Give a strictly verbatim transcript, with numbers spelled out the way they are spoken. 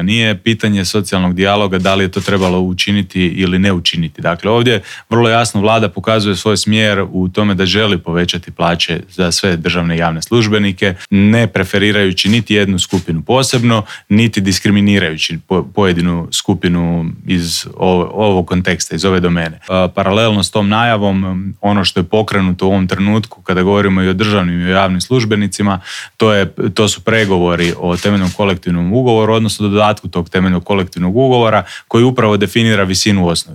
Nije pitanje socijalnog dijaloga da li je to trebalo učiniti ili ne učiniti. Dakle, ovdje vrlo jasno vlada pokazuje svoj smjer u tome da želi povećati plaće za sve državne i javne službenike, ne preferirajući niti jednu skupinu posebno, niti diskriminirajući pojedinu skupinu iz ovog konteksta, iz ove domene. Paralelno s tom najavom, ono što je pokrenuto u ovom trenutku kada govorimo i o državnim i o javnim službenicima, to, je, to su pregovori o temeljnom kolektivnom ugovoru, odnosno dodatku tog temeljnog kolektivnog ugovora koji upravo definira visinu osnovice.